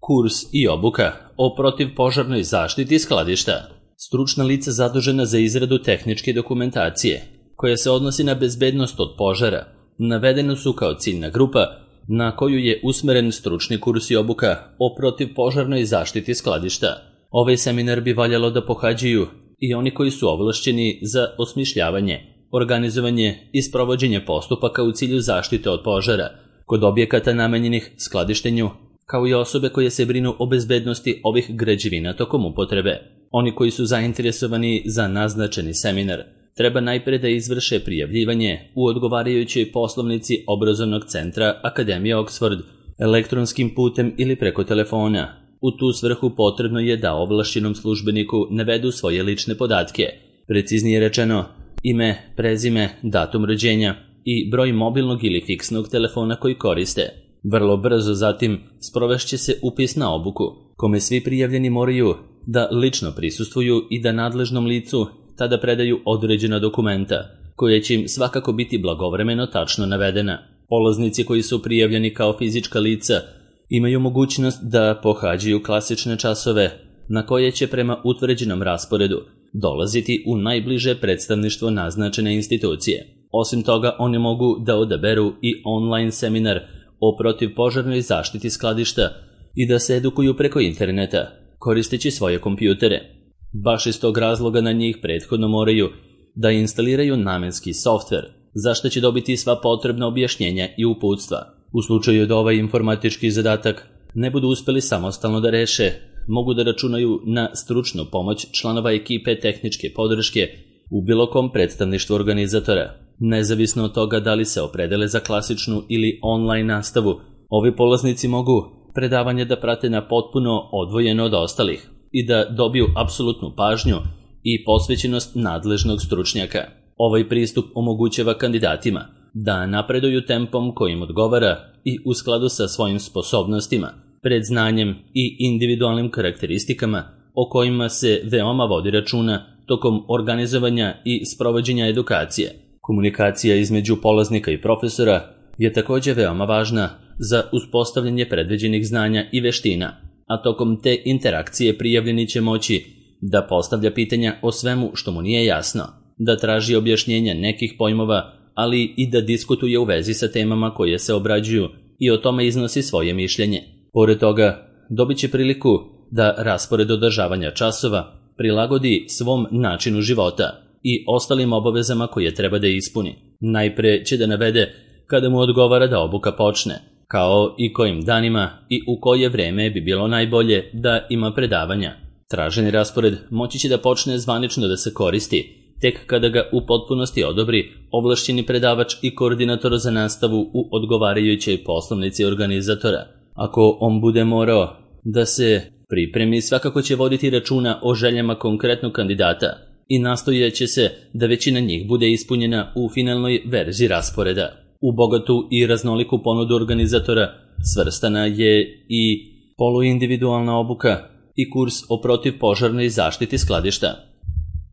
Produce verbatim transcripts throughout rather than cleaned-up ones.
Kurs i obuka o protivpožarnoj zaštiti skladišta. Stručna lica zadužena za izradu tehničke dokumentacije, koja se odnosi na bezbednost od požara, navedeno su kao ciljna grupa na koju je usmeren stručni kurs i obuka o protivpožarnoj zaštiti skladišta. Ovaj seminar bi valjalo da pohađaju i oni koji su ovlašćeni za osmišljavanje, organizovanje i sprovođenje postupaka u cilju zaštite od požara kod objekata namenjenih skladištenju, kao i osobe koje se brinu o bezbednosti ovih građevina tokom upotrebe. Oni koji su zainteresovani za naznačeni seminar treba najpre da izvrše prijavljivanje u odgovarajućoj poslovnici obrazovnog centra Akademije Oxford elektronskim putem ili preko telefona. U tu svrhu potrebno je da ovlašćenom službeniku navedu svoje lične podatke, preciznije rečeno ime, prezime, datum rođenja i broj mobilnog ili fiksnog telefona koji koriste. Vrlo brzo zatim sprovešće se upis na obuku, kome svi prijavljeni moraju da lično prisustvuju i da nadležnom licu tada predaju određena dokumenta, koje će im svakako biti blagovremeno tačno navedena. Polaznici koji su prijavljeni kao fizička lica imaju mogućnost da pohađaju klasične časove na koje će prema utvrđenom rasporedu dolaziti u najbliže predstavništvo naznačene institucije. Osim toga, oni mogu da odaberu i online seminar o protivpožarnoj zaštiti skladišta i da se edukuju preko interneta, koristeći svoje kompjutere. Baš iz tog razloga na njih prethodno moraju da instaliraju namenski softver, za što će dobiti sva potrebna objašnjenja i uputstva. U slučaju da ovaj informatički zadatak ne budu uspeli samostalno da reše, mogu da računaju na stručnu pomoć članova ekipe tehničke podrške u bilo kom predstavništvu organizatora. Nezavisno od toga da li se opredele za klasičnu ili online nastavu, ovi polaznici mogu predavanje da prate na potpuno odvojeno od ostalih i da dobiju apsolutnu pažnju i posvećenost nadležnog stručnjaka. Ovaj pristup omogućava kandidatima da napreduju tempom kojim odgovara i u skladu sa svojim sposobnostima, predznanjem i individualnim karakteristikama o kojima se veoma vodi računa tokom organizovanja i sprovođenja edukacije. Komunikacija između polaznika i profesora je također veoma važna za uspostavljanje predviđenih znanja i veština, a tokom te interakcije prijavljeni će moći da postavlja pitanja o svemu što mu nije jasno, da traži objašnjenja nekih pojmova, ali i da diskutuje u vezi sa temama koje se obrađuju i o tome iznosi svoje mišljenje. Pored toga, dobit će priliku da raspored održavanja časova prilagodi svom načinu života i ostalim obavezama koje treba da ispuni. Najpre će da navede kada mu odgovara da obuka počne, kao i kojim danima i u koje vreme bi bilo najbolje da ima predavanja. Traženi raspored moći će da počne zvanično da se koristi tek kada ga u potpunosti odobri ovlašćeni predavač i koordinator za nastavu u odgovarajućoj poslovnici organizatora. Ako on bude morao da se pripremi, svakako će voditi računa o željama konkretnog kandidata i nastojaće se da većina njih bude ispunjena u finalnoj verziji rasporeda. U bogatu i raznoliku ponudu organizatora svrstana je i poluindividualna obuka i kurs o protivpožarnoj zaštiti skladišta.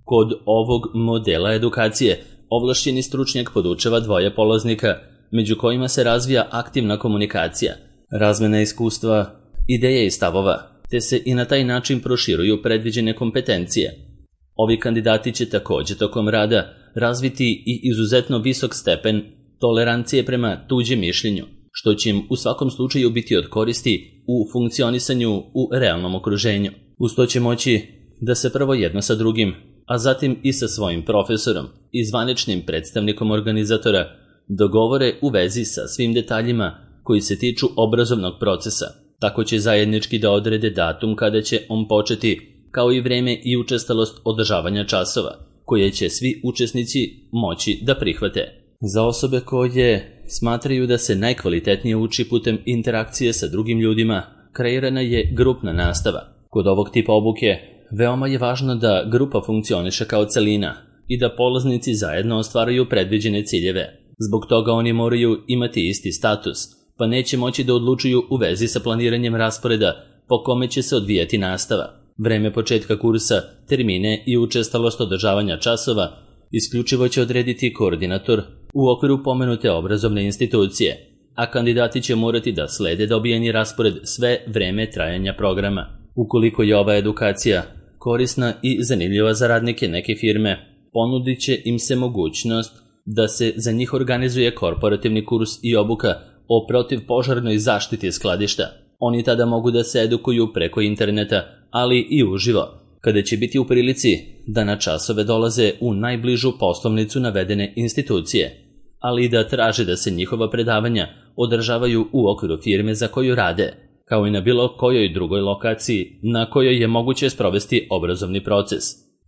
Kod ovog modela edukacije ovlašćeni stručnjak podučava dvoje polaznika, među kojima se razvija aktivna komunikacija, razmena iskustva, ideje i stavova, te se i na taj način proširuju predviđene kompetencije. Ovi kandidati će također tokom rada razviti i izuzetno visok stepen tolerancije prema tuđem mišljenju, što će im u svakom slučaju biti od koristi u funkcionisanju u realnom okruženju. Uz to će moći da se prvo jedno sa drugim, a zatim i sa svojim profesorom i zvaničnim predstavnikom organizatora dogovore u vezi sa svim detaljima koji se tiču obrazovnog procesa. Tako će zajednički da odrede datum kada će on početi, kao i vreme i učestalost održavanja časova, koje će svi učesnici moći da prihvate. Za osobe koje smatraju da se najkvalitetnije uči putem interakcije sa drugim ljudima, kreirana je grupna nastava. Kod ovog tipa obuke veoma je važno da grupa funkcioniše kao celina i da polaznici zajedno ostvaruju predviđene ciljeve. Zbog toga oni moraju imati isti status, pa neće moći da odlučuju u vezi sa planiranjem rasporeda po kome će se odvijati nastava. Vreme početka kursa, termine i učestalost održavanja časova isključivo će odrediti koordinator u okviru pomenute obrazovne institucije, a kandidati će morati da slede dobijeni raspored sve vreme trajanja programa. Ukoliko je ova edukacija korisna i zanimljiva za radnike neke firme, ponudit će im se mogućnost da se za njih organizuje korporativni kurs i obuka o protivpožarnoj zaštiti skladišta. Oni tada mogu da se edukuju preko interneta, ali i uživo, kada će biti u prilici da na časove dolaze u najbližu poslovnicu navedene institucije, ali i da traže da se njihova predavanja održavaju u okviru firme za koju rade, kao i na bilo kojoj drugoj lokaciji na kojoj je moguće sprovesti obrazovni proces.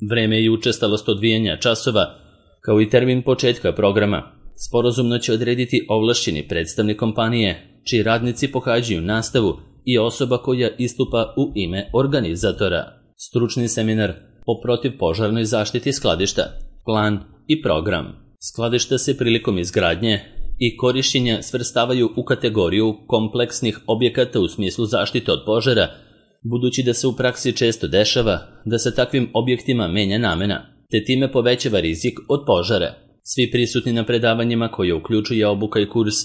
Vreme i učestalost odvijanja časova, kao i termin početka programa, sporazumno će odrediti ovlašćeni predstavnik kompanije, čiji radnici pohađaju nastavu i osoba koja istupa u ime organizatora. Stručni seminar o protivpožarnoj zaštiti skladišta, plan i program. Skladišta se prilikom izgradnje i korišćenja svrstavaju u kategoriju kompleksnih objekata u smislu zaštite od požara, budući da se u praksi često dešava da se takvim objektima menja namena, te time povećava rizik od požara. Svi prisutni na predavanjima koje uključuje obuka i kurs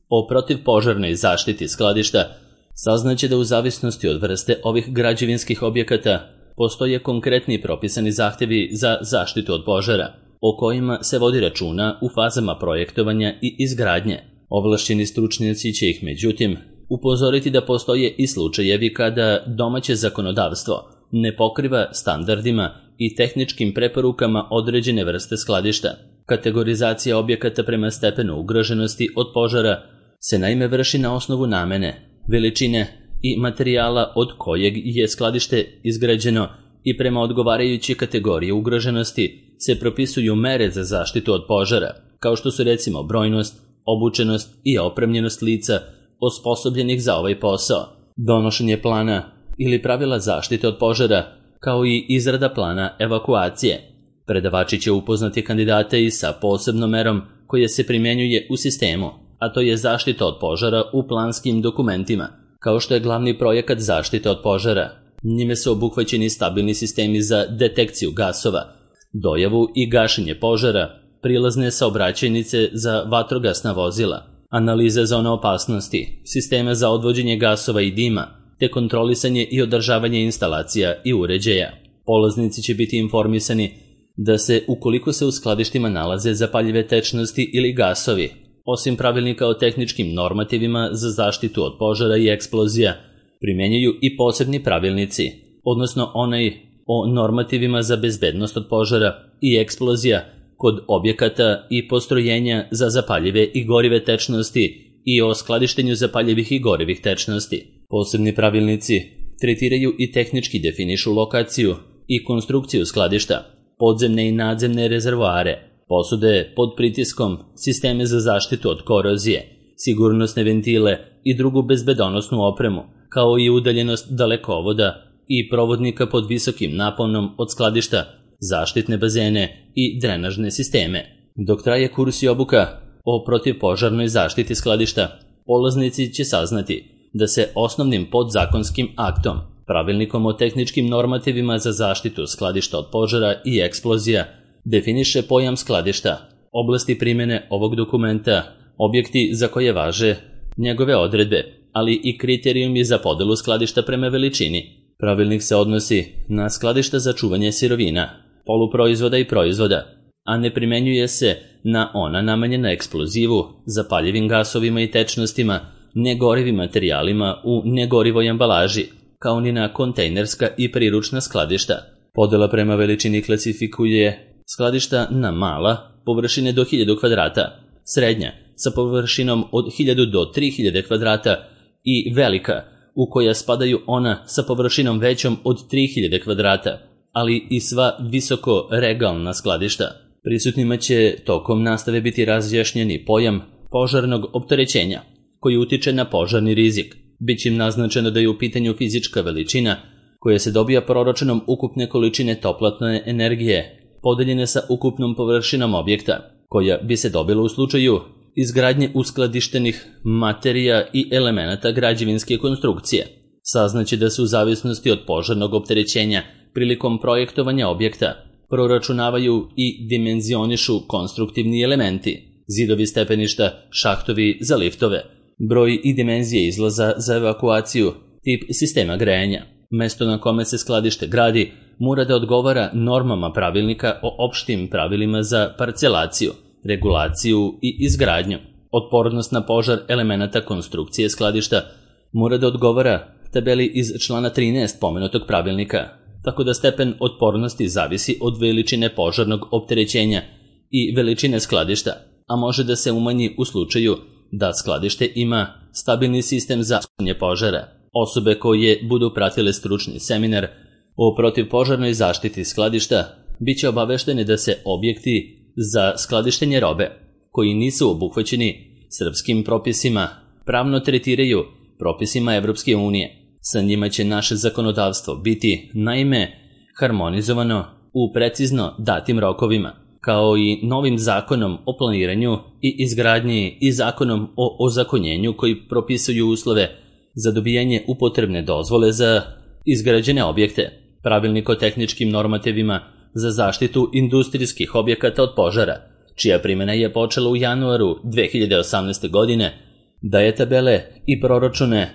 o protivpožarnoj zaštiti skladišta saznaće da u zavisnosti od vrste ovih građevinskih objekata postoje konkretni propisani zahtevi za zaštitu od požara, o kojima se vodi računa u fazama projektovanja i izgradnje. Ovlašćeni stručnjaci će ih, međutim, upozoriti da postoje i slučajevi kada domaće zakonodavstvo ne pokriva standardima i tehničkim preporukama određene vrste skladišta. Kategorizacija objekata prema stepenu ugroženosti od požara se naime vrši na osnovu namene, veličine i materijala od kojeg je skladište izgrađeno i prema odgovarajući kategorije ugroženosti se propisuju mere za zaštitu od požara, kao što su recimo brojnost, obučenost i opremljenost lica osposobljenih za ovaj posao, donošenje plana ili pravila zaštite od požara, kao i izrada plana evakuacije. Predavači će upoznati kandidate i sa posebnom merom koja se primjenjuje u sistemu, a to je zaštita od požara u planskim dokumentima, kao što je glavni projekat zaštite od požara. Njime su obuhvaćeni stabilni sistemi za detekciju gasova, dojavu i gašenje požara, prilazne saobraćajnice za vatrogasna vozila, analize zona opasnosti, sistema za odvođenje gasova i dima, te kontrolisanje i održavanje instalacija i uređaja. Polaznici će biti informisani da se, ukoliko se u skladištima nalaze zapaljive tečnosti ili gasovi, osim pravilnika o tehničkim normativima za zaštitu od požara i eksplozija, primjenjuju i posebni pravilnici, odnosno onaj o normativima za bezbednost od požara i eksplozija kod objekata i postrojenja za zapaljive i gorive tečnosti i o skladištenju zapaljivih i gorivih tečnosti. Posebni pravilnici tretiraju i tehnički definišu lokaciju i konstrukciju skladišta, podzemne i nadzemne rezervoare, posude pod pritiskom, sisteme za zaštitu od korozije, sigurnosne ventile i drugu bezbedonosnu opremu, kao i udaljenost dalekovoda i provodnika pod visokim naponom od skladišta, zaštitne bazene i drenažne sisteme. Dok traje kurs i obuka o protivpožarnoj zaštiti skladišta, polaznici će saznati da se osnovnim podzakonskim aktom, pravilnikom o tehničkim normativima za zaštitu skladišta od požara i eksplozija, definiše pojam skladišta, oblasti primjene ovog dokumenta, objekti za koje važe njegove odredbe, ali i kriterijumi za podelu skladišta prema veličini. Pravilnik se odnosi na skladišta za čuvanje sirovina, poluproizvoda i proizvoda, a ne primenjuje se na ona namenjena eksplozivu, zapaljivim gasovima i tečnostima, negorivim materijalima u negorivoj ambalaži, kao ni na kontejnerska i priručna skladišta. Podela prema veličini klasifikuje skladišta na mala, površine do hiljadu kvadrata, srednja, sa površinom od hiljadu do tri hiljade kvadrata i velika, u koja spadaju ona sa površinom većom od tri hiljade kvadrata, ali i sva visoko regalna skladišta. Prisutnima će tokom nastave biti razjašnjeni pojam požarnog opterećenja, koji utiče na požarni rizik. Biće im naznačeno da je u pitanju fizička veličina koja se dobija proračunom ukupne količine toplotne energije, podeljene sa ukupnom površinom objekta, koja bi se dobila u slučaju izgradnje uskladištenih materija i elemenata građevinske konstrukcije. Saznaće da se u zavisnosti od požarnog opterećenja prilikom projektovanja objekta proračunavaju i dimenzionišu konstruktivni elementi, zidovi stepeništa, šahtovi za liftove, broj i dimenzije izlaza za evakuaciju, tip sistema grejanja. Mesto na kome se skladište gradi mora da odgovara normama pravilnika o opštim pravilima za parcelaciju, regulaciju i izgradnju. Otpornost na požar elemenata konstrukcije skladišta mora da odgovara tabeli iz člana trinaest pomenutog pravilnika, tako da stepen otpornosti zavisi od veličine požarnog opterećenja i veličine skladišta, a može da se umanji u slučaju da skladište ima stabilni sistem za gašenje požara. Osobe koje budu pratile stručni seminar o protivpožarnoj zaštiti skladišta biće obaveštene da se objekti za skladištenje robe koji nisu obuhvaćeni srpskim propisima pravno tretiraju propisima Evropske unije. Sa njima će naše zakonodavstvo biti, naime, harmonizovano u precizno datim rokovima, kao i novim zakonom o planiranju i izgradnji i zakonom o ozakonjenju koji propisuju uslove za dobijanje upotrebne dozvole za izgrađene objekte, pravilnik o tehničkim normativima za zaštitu industrijskih objekata od požara, čija primjena je počela u januaru dve hiljade osamnaeste. godine, daje tabele i proračune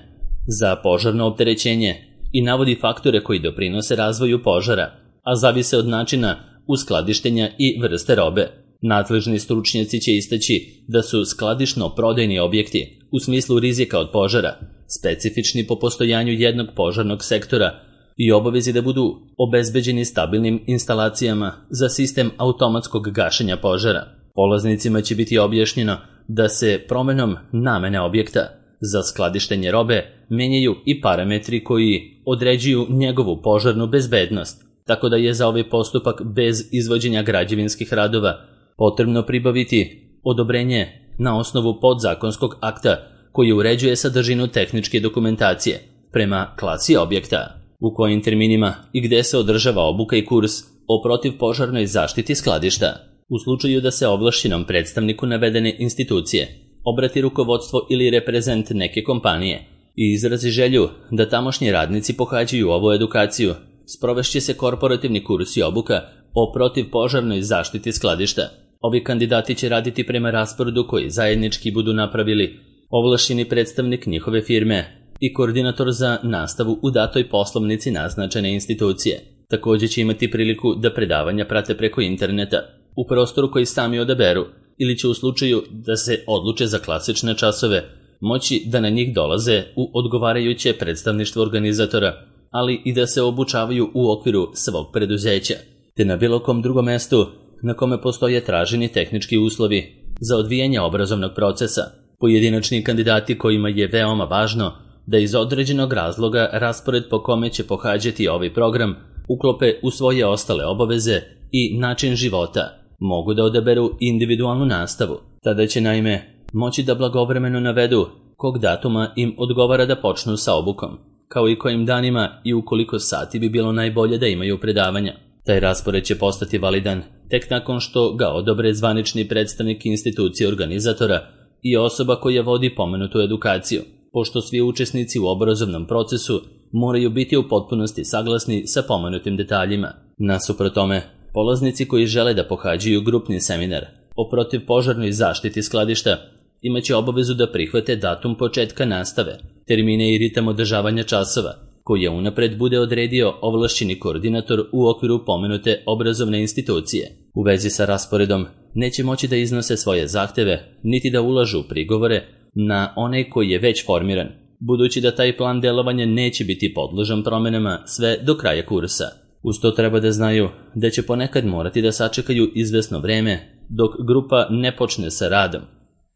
za požarno opterećenje i navodi faktore koji doprinose razvoju požara, a zavise od načina uskladištenja i vrste robe. Nadležni stručnjaci će istaći da su skladišno-prodajni objekti u smislu rizika od požara specifični po postojanju jednog požarnog sektora i obavezi da budu obezbeđeni stabilnim instalacijama za sistem automatskog gašenja požara. Polaznicima će biti objašnjeno da se promenom namene objekta za skladištenje robe menjaju i parametri koji određuju njegovu požarnu bezbednost, tako da je za ovaj postupak bez izvođenja građevinskih radova potrebno pribaviti odobrenje na osnovu podzakonskog akta koji uređuje sadržinu tehničke dokumentacije prema klasi objekta, u kojim terminima i gde se održava obuka i kurs o protivpožarnoj zaštiti skladišta. U slučaju da se ovlašćenom predstavniku navedene institucije obrati rukovodstvo ili reprezent neke kompanije i izrazi želju da tamošnji radnici pohađaju ovu edukaciju, sprovešće se korporativni kurs i obuka o protivpožarnoj zaštiti skladišta. Ovi kandidati će raditi prema rasporedu koji zajednički budu napravili ovlašćeni predstavnik njihove firme i koordinator za nastavu u datoj poslovnici naznačene institucije. Također će imati priliku da predavanja prate preko interneta u prostoru koji sami odaberu ili će u slučaju da se odluče za klasične časove moći da na njih dolaze u odgovarajuće predstavništvo organizatora, ali i da se obučavaju u okviru svog preduzeća, te na bilo kom drugom mestu na kome postoje traženi tehnički uslovi za odvijanje obrazovnog procesa. Pojedinačni kandidati kojima je veoma važno da iz određenog razloga raspored po kome će pohađati ovaj program uklope u svoje ostale obaveze i način života, mogu da odaberu individualnu nastavu. Tada će naime moći da blagovremeno navedu kog datuma im odgovara da počnu sa obukom, kao i kojim danima i u koliko sati bi bilo najbolje da imaju predavanja. Taj raspored će postati validan tek nakon što ga odobre zvanični predstavnik institucije organizatora i osoba koja vodi pomenutu edukaciju, pošto svi učesnici u obrazovnom procesu moraju biti u potpunosti saglasni sa pomenutim detaljima. Nasuprot tome, polaznici koji žele da pohađaju grupni seminar o protivpožarnoj zaštiti skladišta imaće obavezu da prihvate datum početka nastave, termine i ritam održavanja časova, koji je unapred bude odredio ovlašćeni koordinator u okviru pomenute obrazovne institucije. U vezi sa rasporedom neće moći da iznose svoje zahteve, niti da ulažu prigovore na onaj koji je već formiran, budući da taj plan delovanja neće biti podložan promenama sve do kraja kursa. Uz to treba da znaju da će ponekad morati da sačekaju izvesno vreme dok grupa ne počne sa radom,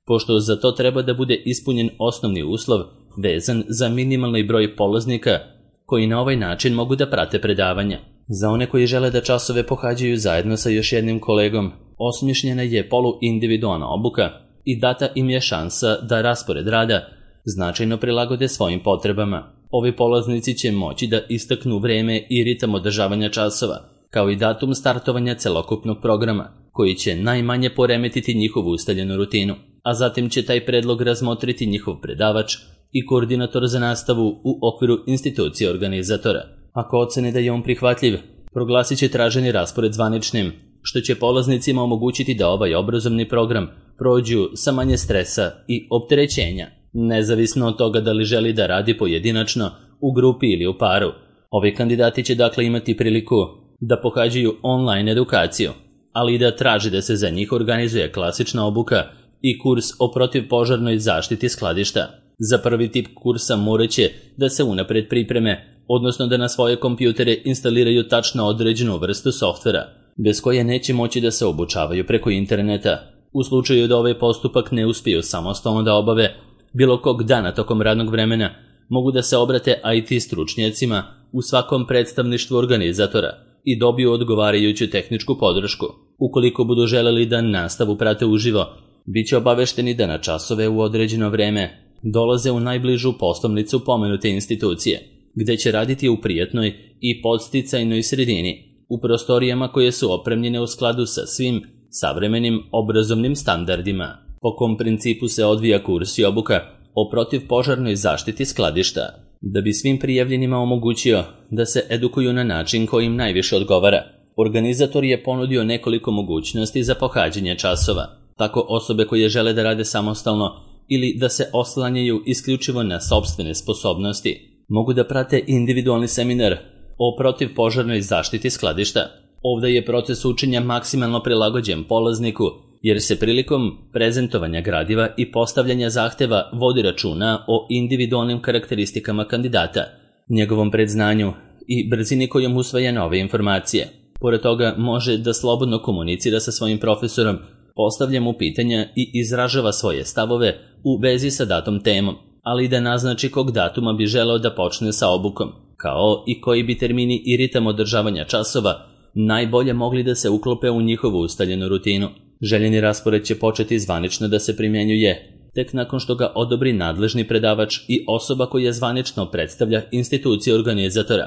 pošto za to treba da bude ispunjen osnovni uslov vezan za minimalni broj polaznika koji na ovaj način mogu da prate predavanja. Za one koji žele da časove pohađaju zajedno sa još jednim kolegom, osmišljena je poluindividualna obuka i data im je šansa da raspored rada značajno prilagode svojim potrebama. Ovi polaznici će moći da istaknu vreme i ritam održavanja časova, kao i datum startovanja celokupnog programa, koji će najmanje poremetiti njihovu ustaljenu rutinu, a zatim će taj predlog razmotriti njihov predavač i koordinator za nastavu u okviru institucije organizatora. Ako ocene da je on prihvatljiv, proglasit će traženi raspored zvaničnim, što će polaznicima omogućiti da ovaj obrazovni program prođu sa manje stresa i opterećenja. nezavisno od toga da li želi da radi pojedinačno, u grupi ili u paru. Ovi kandidati će dakle imati priliku da pohađaju online edukaciju, ali i da traži da se za njih organizuje klasična obuka i kurs o protivpožarnoj zaštiti skladišta. Za prvi tip kursa morat će da se unapred pripreme, odnosno da na svoje kompjutere instaliraju tačno određenu vrstu softvera, bez koje neće moći da se obučavaju preko interneta. U slučaju da ovaj postupak ne uspiju samostalno da obave, bilo kog dana tokom radnog vremena mogu da se obrate I T stručnjacima u svakom predstavništvu organizatora i dobiju odgovarajuću tehničku podršku. Ukoliko budu želeli da nastavu prate uživo, bit će obavešteni da na časove u određeno vreme dolaze u najbližu poslovnicu pomenute institucije, gde će raditi u prijatnoj i podsticajnoj sredini, u prostorijama koje su opremljene u skladu sa svim savremenim obrazovnim standardima. Po kom principu se odvija kurs i obuka o protivpožarnoj zaštiti skladišta? Da bi svim prijavljenima omogućio da se edukuju na način koji im najviše odgovara, organizator je ponudio nekoliko mogućnosti za pohađanje časova. Tako osobe koje žele da rade samostalno ili da se oslanjaju isključivo na sopstvene sposobnosti mogu da prate individualni seminar o protivpožarnoj zaštiti skladišta. Ovdje je proces učenja maksimalno prilagođen polazniku, jer se prilikom prezentovanja gradiva i postavljanja zahteva vodi računa o individualnim karakteristikama kandidata, njegovom predznanju i brzini kojom usvaja nove informacije. Pored toga može da slobodno komunicira sa svojim profesorom, postavlja mu pitanja i izražava svoje stavove u vezi sa datom temom, ali i da naznači kog datuma bi želeo da počne sa obukom, kao i koji bi termini i ritam održavanja časova najbolje mogli da se uklope u njihovu ustaljenu rutinu. Željeni raspored će početi zvanično da se primjenjuje tek nakon što ga odobri nadležni predavač i osoba koja zvanično predstavlja institucije organizatora,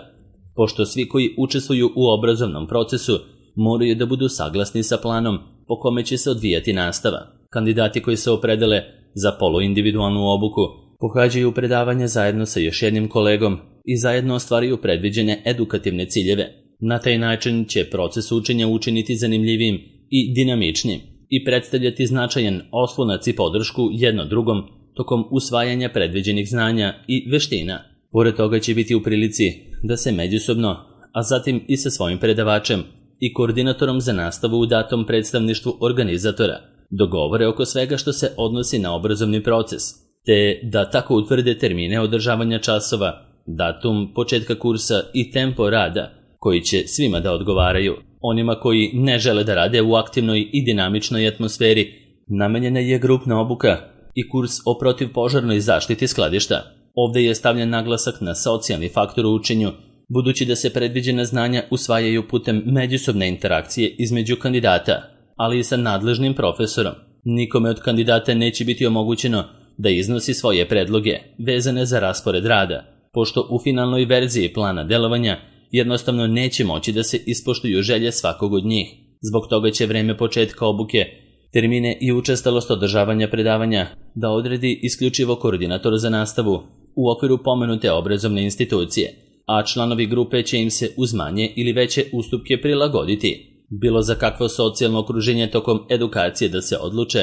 pošto svi koji učestvuju u obrazovnom procesu moraju da budu saglasni sa planom po kome će se odvijati nastava. Kandidati koji se opredele za poluindividualnu obuku pohađaju predavanja zajedno sa još jednim kolegom i zajedno ostvaruju predviđene edukativne ciljeve. Na taj način će proces učenja učiniti zanimljivijim i dinamičnim i predstavljati značajan oslonac i podršku jedno drugom tokom usvajanja predviđenih znanja i veština. Pored toga će biti u prilici da se međusobno, a zatim i sa svojim predavačem i koordinatorom za nastavu u datom predstavništvu organizatora, dogovore oko svega što se odnosi na obrazovni proces, te da tako utvrde termine održavanja časova, datum početka kursa i tempo rada, koji će svima da odgovaraju. Onima koji ne žele da rade u aktivnoj i dinamičnoj atmosferi, namenjena je grupna obuka i kurs o protivpožarnoj zaštiti skladišta. Ovdje je stavljen naglasak na socijalni faktor u učenju, budući da se predviđena znanja usvajaju putem međusobne interakcije između kandidata, ali i sa nadležnim profesorom. Nikome od kandidata neće biti omogućeno da iznosi svoje predloge vezane za raspored rada, pošto u finalnoj verziji plana delovanja jednostavno neće moći da se ispoštuju želje svakog od njih. Zbog toga će vreme početka obuke, termine i učestalost održavanja predavanja da odredi isključivo koordinator za nastavu u okviru pomenute obrazovne institucije, a članovi grupe će im se uz manje ili veće ustupke prilagoditi. Bilo za kakvo socijalno okruženje tokom edukacije da se odluče,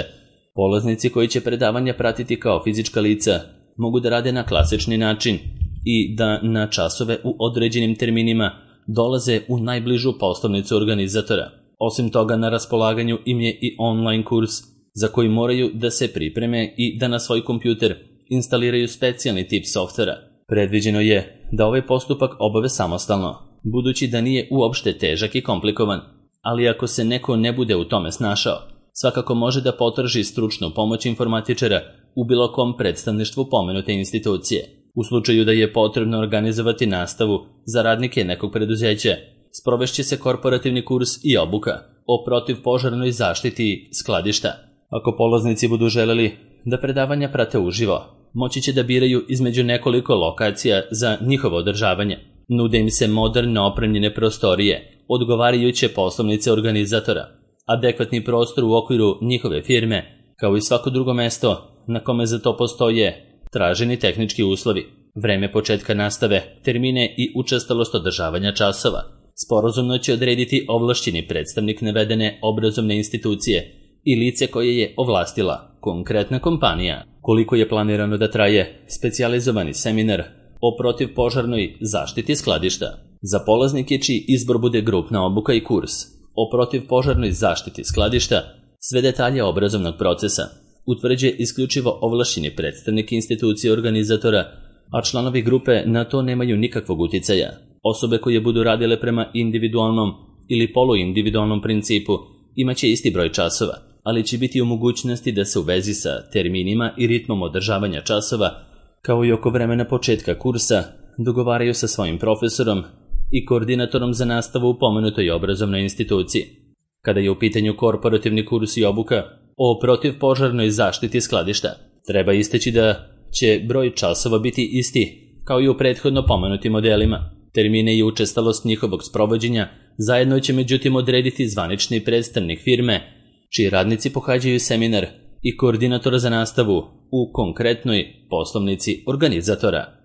polaznici koji će predavanja pratiti kao fizička lica mogu da rade na klasični način i da na časove u određenim terminima dolaze u najbližu poslovnicu organizatora. Osim toga, na raspolaganju im je i online kurs za koji moraju da se pripreme i da na svoj kompjuter instaliraju specijalni tip softvera. Predviđeno je da ovaj postupak obave samostalno, budući da nije uopšte težak i komplikovan, ali ako se neko ne bude u tome snašao, svakako može da potraži stručnu pomoć informatičara u bilo kom predstavništvu pomenute institucije. U slučaju da je potrebno organizovati nastavu za radnike nekog preduzeća, sprovešće se korporativni kurs i obuka o protivpožarnoj zaštiti skladišta. Ako polaznici budu želeli da predavanja prate uživo, moći će da biraju između nekoliko lokacija za njihovo održavanje. Nude im se moderne opremljene prostorije, odgovarajuće poslovnice organizatora, adekvatni prostor u okviru njihove firme, kao i svako drugo mesto na kome za to postoje traženi tehnički uslovi, vreme početka nastave, termine i učestalost održavanja časova. Sporazumno će odrediti ovlašćeni predstavnik navedene obrazovne institucije i lice koje je ovlastila. konkretna kompanija. Koliko je planirano da traje specijalizovani seminar o protivpožarnoj zaštiti skladišta? Za polaznike čiji izbor bude grupna obuka i kurs o protivpožarnoj zaštiti skladišta, sve detalje obrazovnog procesa utvrđuje isključivo ovlašćeni predstavnik institucije organizatora, a članovi grupe na to nemaju nikakvog uticaja. Osobe koje budu radile prema individualnom ili poluindividualnom principu imaće isti broj časova, ali će biti u mogućnosti da se u vezi sa terminima i ritmom održavanja časova, kao i oko vremena početka kursa, dogovaraju sa svojim profesorom i koordinatorom za nastavu u pomenutoj obrazovnoj instituciji. Kada je u pitanju korporativni kurs i obuka o protivpožarnoj zaštiti skladišta, treba istaći da će broj časova biti isti kao i u prethodno pomenutim modelima. Termine i učestalost njihovog sprovođenja zajedno će međutim odrediti zvanični predstavnik firme, čiji radnici pohađaju seminar i koordinator za nastavu u konkretnoj poslovnici organizatora.